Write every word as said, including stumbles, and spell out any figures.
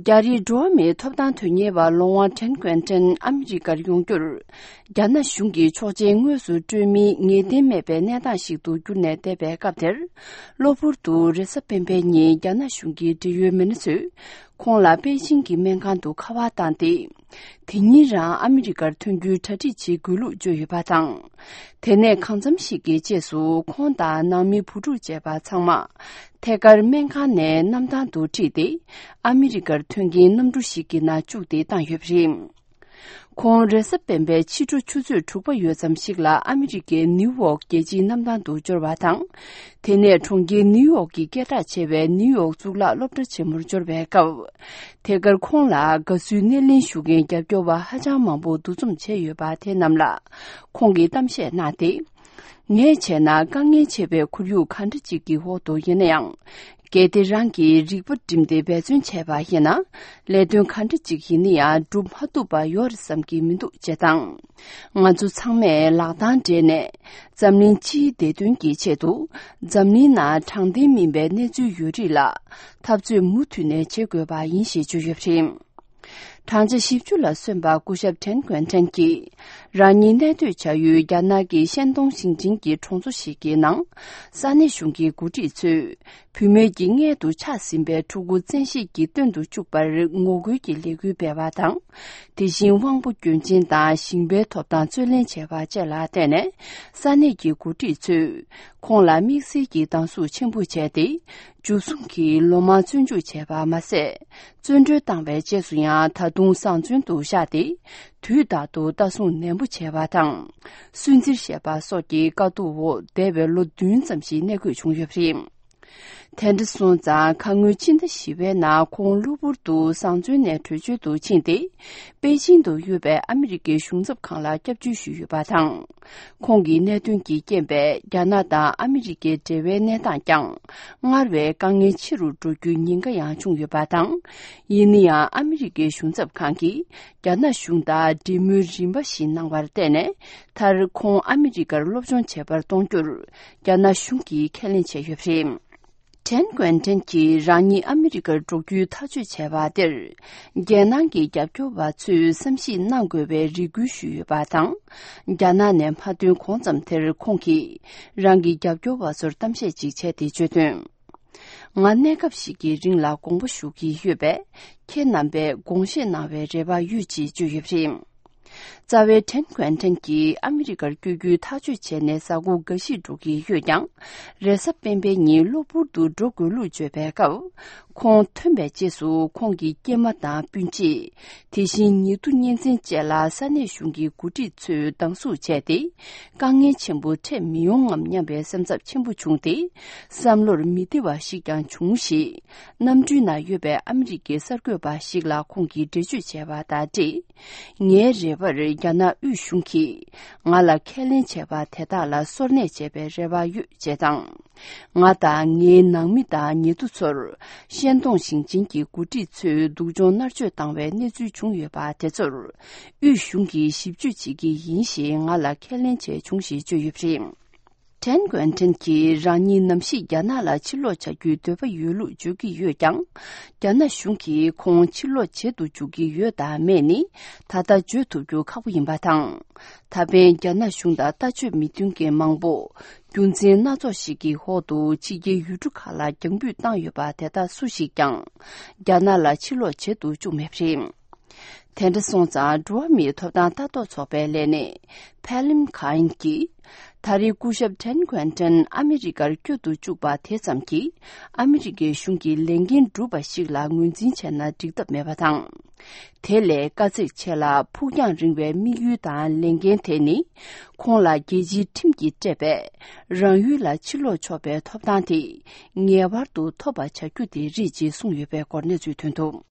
རྒྱ་རིགས་འགྲོ་བ་མིའི་ཐོབ་ཐང་དོན་གཉེར་བ་ལོང་ཝང་ཁྲེན་ཀོན་ཀྲན་ཨ་མི་རི་ཀར་ཡོང་རྒྱུར། རྒྱ་ནག་གཞུང་གིས་ཆོག་མཆན་དངོས་སུ་སྤྲོད་མིན་ངེས་གཏན་མེད་པའི་གནས་སྟངས་ཤིག་ཏུ་གྱུར་ནས་བསྡད་པའི་སྐབས་དེར། གློ་བུར་དུ་རེས་གཟའ་སྤེན་པའི་ཉིན་རྒྱ་ནག་གཞུང་གི་འབྲེལ་ཡོད་མི་སྣ་ཚོས་ཁོང་ལ་པེ་ཅིང་གི་སྨན་ཁང་དུ་ཁ་པར་བཏང་སྟེ། དེ་ཉིན་རང་ཨ་མི་རི་ཀར་ཐོན་རྒྱུའི་གྲ་སྒྲིག་བྱེད་དགོས་ལུགས་བརྗོད་ཡོད་པ་དང་། དེ་ནས་གང་འཚམ་ཞིག་གི་རྗེས་སུ་ཁོང་དང་ནང་མི་བུ་ཕྲུག་བཅས་པ་ཚང་མ་ཐད་ཀར་སྨན་ཁང་ནས་གནམ་ཐང་དུ་ཁྲིད་དེ་ཨ་མི་རི་ཀར་ཐོན་མཁན་གནམ་གྲུ་ཞིག་གི་ནང་བཅུག་སྟེ་བཏང་ཡོད་པ་རེད། ཁོང་རེས་གཟའ་སྤེན་པའི་ཕྱི་དྲོ་ཆུ་ཚོད་དྲུག་པ་ཡོལ་ཙམ་ཞིག་ལ་ཨ་མི་རི་ཀའི་ནིའུ་ཡོག་རྒྱལ་སྤྱིའི་གནམ་ཐང་དུ་འབྱོར་བ་དང་། དེ་ནས་གྲོང་ཁྱེར་ནིའུ་ཡོག་གི་སྐད་གྲགས་ཆེ་བའི་ནིའུ་ཡོག་གཙུག་ལག་སློབ་གྲྭ་ཆེན་མོར་འབྱོར་བའི་སྐབས། ཐད་ཀར་ཁོང་ལ་དགའ་བསུའི་སྣེ་ལེན་ཞུ་མཁན་རྒྱབ་སྐྱོར་བ་ཧ་ཅང་མང་པོ་འདུ་འཛོམས་བྱས་ཡོད་པ་དེ་རྣམས་ལ་ཁོང་གིས་གཏམ་བཤད་གནང་སྟེ། ངས་བྱས་ན་དཀའ་ངལ་ཆེ་བའི་ཁོར་ཡུག་ག་འདྲ་ཅིག་གི་འོག་ཏུ་ཡིན་ན་ཡང་། གལ་ཏེ་རང་གིས་རིག་པ་བསྒྲིམས་ཏེ་འབད་བརྩོན་བྱས་པ་ཡིན་ན། ལས་དོན་ག་འདྲ་ཅིག་ཡིན་ན་ཡང་སྒྲུབ་མ་ཐུབ་པ་ཡོད་རེད་བསམ་གྱི་མི་འདུག་ཅེས་དང་། ང་ཚོ་ཚང་མས་ལག་གདང་སྦྲེལ་ནས། འཛམ་གླིང་སྤྱིའི་བདེ་དོན་གྱི་ཆེད་དུ། འཛམ་གླིང་ནང་དྲང་བདེན་མིན་པའི་གནས་ཚུལ་ཡོད་རིགས་ལ། འཐབ་རྩོད་མུ་མཐུད་ནས་བྱེད་དགོས་པ་ཡིན་ཞེས་བརྗོད་ཡོད་པ་རེད། བགྲང་བྱ་བཞི་བཅུ་ལ་སོན་པ་སྐུ་ཞབས་ཁྲེན་ཀོན་ཁྲེན་གྱིས། རང་ཉིད་གནས་སྡོད་བྱ་ཡུལ་རྒྱ་ནག་གི་ཤན་ཏུང་ཞིང་ཆེན་གྱི་གྲོང་ཚོ་ཞིག་གི་ནང་། ས་གནས་གཞུང་གི་འགོ་ཁྲིད་ཚོས། བུད་མེད་ཀྱི་མངལ་དུ་ཆགས་ཟིན་པའི་ཕྲུ་གུ་བཙན་ཤེད་ཀྱིས་སྟོན་དུ་བཅུག་པར་ངོ་རྒོལ་གྱི་ལས་འགུལ་སྤེལ་བ་དང་། དེ་བཞིན་དབང་པོ་སྐྱོན་ཅན་དང་ཞིང་པའི་ཐོབ་ཐང་རྩོད་ལེན་བྱས་པ་བཅས་ལ་བརྟེན་ནས། ས་གནས་ཀྱི་འགོ་ཁྲིད་ཚོས་ཁོང་ལ་དམིགས་བསལ་གྱི་སྡང་ཟུག་ཆེན་པོ་བྱས་ཏེ། འཇུ་བཟུང་གིས་ལོ་མང་བཙོན་འཇུག་བྱས་པ་མ་ཟད། བཙོན་གྲོལ་བཏང་བའི་རྗེས་སུ་ཡང་ད་དུང་བཟང་བཙོན་དུ་བཞག་སྟེ། དུས་རྟག་ཏུ་ལྟ་སྲུང་ནན་པོ་བྱས་པ་དང་། སུན་གཙེར་བཞེས་པ་སོགས་ཀྱི་དཀའ་སྡུག་འོག་འདས་པའི་ལོ་བདུན་ཙམ་ཞིག་གནས་དགོས་བྱུང་ཡོད་པ་རེད། དེ་འདྲ་སོང་ཙང་ཁ་སྔོན་ཕྱི་ཟླ་བཞི་པའི་ནང་ཁོང་གློ་བུར་དུ་བཟང་བཙོན་ནས་བྲོས་བྱོལ་དུ་ཕྱིན་ཏེ། པེ་ཅིང་དུ་ཡོད་པའི་ཨ་མི་རི་ཀའི་གཞུང་ཚབ་ཁང་ལ་སྐྱབས་བཅོལ་ཞུས་ཡོད་པ་དང་། ཁོང་གི་གནད་དོན་གྱི་རྐྱེན་པས་རྒྱ་ནག་དང་ཨ་མི་རི་ཀའི་འབྲེལ་བའི་གནས་སྟངས་ཀྱང་སྔར་བས་དཀའ་ངལ་ཆེ་རུ་འགྲོ་རྒྱུའི་ཉེན་ཁ་ཡང་བྱུང་ཡོད་པ་དང་། ཡིན་ན་ཡང་ཨ་མི་རི་ཀའི་གཞུང་ཚབ་ཁང་གིས་རྒྱ་ནག་གཞུང་དང་འབྲེལ་མོལ་རིམ་པ་བཞིན་གནང་བར་བརྟེན་ནས། མཐར་ཁོང་ཨ་མི་རི་ཀར་སློབ་སྦྱོང་བྱེད་པར་གཏོང་རྒྱུར་རྒྱ་ནག་གཞུང་གིས་ཁས་ལེན་བྱས་ཡོད་པ་རེད། ཁྲེན་ཀོན་ཁྲེན་གྱིས་རང་ཉིད་ཨ་མི་རི་ཀར་འགྲོ་རྒྱུའི་ཐག་གཅོད་བྱས་པ་དེར། རྒྱལ་ནང་གི་རྒྱབ་སྐྱོར་བ་ཚོས་བསམ་གཞིག་གནང་དགོས་པའི་རེ་སྐུལ་ཞུས་ཡོད་པ་དང་། རྒྱ་ནག་ནས་མ་ཐོན་གོང་ཙམ་དེར་ཁོང་གིས་རང་གི་རྒྱབ་སྐྱོར་བ་ཚོར་གཏམ་བཤད་ཅིག་བྱས་ཏེ་བརྗོད་དོན། ང་གནས་སྐབས་ཤིག་གི་རིང་ལ་དགོངས་པ་ཞུ་གི་ཡོད་པས། ཁྱེད་རྣམ་པས་དགོངས་བཞེས་གནང་བའི་རེ་བ་ཡོད་ཅེས་བརྗོད་ཡོད་པ་རེད། རྩ་བའི་ཁྲེན་ཀོན་ཁྲེན་གྱིས་ཨ་མི་རི་ཀར་བསྐྱོད་རྒྱུའི་ཐག་གཅོད་བྱས་ནས་གཟའ་འཁོར་འགའ་ཞིག་འགྲོ་གི་ཡོད་ཀྱང་། རེས་གཟའ་སྤེན་པའི་ཉིན་གློ་བུར་དུ་འགྲོ་དགོས་ལུགས་བརྗོད་པའི་སྐབས། ཁོང་ཐོན་པའི་རྗེས་སུ་ཁོང་གི་སྐྱེས་མ་དང་སྤུན་མཆེད། དེ་བཞིན་ཉེ་དུ་གཉེན་ཚན་བཅས་ལ་ས་གནས་གཞུང་གི་འགོ་ཁྲིད་ཚོས་སྡང་ཟུག་བྱས་ཏེ། དཀའ་ངལ་ཆེན་པོ་འཕྲད་མི་ཡོང་ངམ་སྙམ་པའི་སེམས་འཚབ་ཆེན་པོ་བྱུང་སྟེ། བསམ་བློར་མི་བདེ་བ་ཞིག་ཀྱང་བྱུང་ཞེས། གནམ་གྲུའི་ནང་ཡོད་པའི་ཨ་མི་རི་ཀའི་གསར་འགོད་པ་ཞིག་ལ་ཁོང་གིས་འགྲེལ་བརྗོད་བྱས་པ་དང་འབྲེལ། ངའི་རེ་བར་རྒྱ་ནག་དབུས་གཞུང་གིས་ང་ལ་ཁས་ལེན་བྱས་པ་དེ་དག་ལ་སོར་གནས་བྱེད་པའི་རེ་བ་ཡོད་ཅེས་དང་། ང་དང་ངའི་ནང་མི་དང་ཉེ་དུ་ཚོར་ཤན་ཏུང་ཞིང་ཆེན་གྱི་འགོ་ཁྲིད་ཚོས་སྡུག་སྦྱོང་མནར་གཅོད་བཏང་བའི་གནས་ཚུལ་བྱུང་ཡོད་པ་དེ་ཚོར་དབུས་གཞུང་གིས་ཞིབ་དཔྱོད་བྱེད་ཀྱི་ཡིན་ཞེས་ང་ལ་ཁས་ལེན་བྱས་བྱུང་ཞེས་བརྗོད་ཡོད་པ་རེད། ཁྲེན་ཀོན་ཁྲེན་གྱིས་རང་ཉིད་ནམ་ཞིག་རྒྱ་ནག་ལ་ཕྱིར་ལོག་བྱ་རྒྱུའི་འདོད་པ་ཡོད་ལུགས་བརྗོད་ཀྱི་ཡོད་ཀྱང་། རྒྱ་ནག་གཞུང་གིས་ཁོང་ཕྱིར་ལོག་བྱེད་དུ་འཇུག་གི་ཡོད་དམ་མེད་ནི་ད་ལྟ་བརྗོད་ཐུབ་རྒྱུ་ཁག་པོ་ཡིན་པ་དང་། ད་ཕན་རྒྱ་ནག་གཞུང་དང་ལྟ་སྤྱོད་མི་མཐུན་མཁན་མང་པོ། རྒྱུ་མཚན་སྣ་ཚོགས་ཤིག་གི་འོག་ཏུ་ཕྱི་རྒྱལ་ཡུལ་གྲུ་ཁག་ལ་རྒྱང་འབུད་བཏང་ཡོད་པ་དེ་དག་སུ་ཞིག་ཀྱང་། རྒྱ་ནག་ལ་ཕྱིར་ལོག་བྱེད་དུ་བཅུག་མེད་པ་རེད། དེ་འདྲ་སོང་ཙང་འགྲོ་བ་མིའི་ཐོབ་ཐང་ལྟ་རྟོག་ཚོགས་པའི་ལས་སྣེ་ཕེ་ལིམ་ཁ་ཨིན་གྱིས། ད་རེས་སྐུ་ཞབས་ཁྲེན་ཀོན་ཀྲན་ཨ་མི་རི་ཀར་བསྐྱོད་དུ་བཅུག་པ་དེ་ཙམ་གྱིས་ཨ་མི་རི་ཀའི་གཞུང་གི་ལས་འགན་སྒྲུབ་པ་ཞིག་ལ་ངོས་འཛིན་བྱས་ན་འགྲིག་ཐབས་མེད་པ་དང་། དེ་ལས་དཀའ་ཚེགས་ཆེ་ལ་ཕུགས་རྒྱང་རིང་བའི་དམིགས་ཡུལ་དང་ལས་འགན་དེ་ནི། ཁོང་ལ་རྒྱལ་སྤྱིའི་ཁྲིམས་ཀྱིས་སྤྲད་པའི་རང་ཡུལ་ལ་ཕྱིར་ལོག་ཆོག་པའི་ཐོབ་ཐང་དེ་ངེས་པར་དུ་ཐོབ་པ་བྱ་རྒྱུ་དེ་རེད་ཅེས་གསུངས་ཡོད་པའི་སྐོར་གནས་ཚུལ་ཐོན་འདུག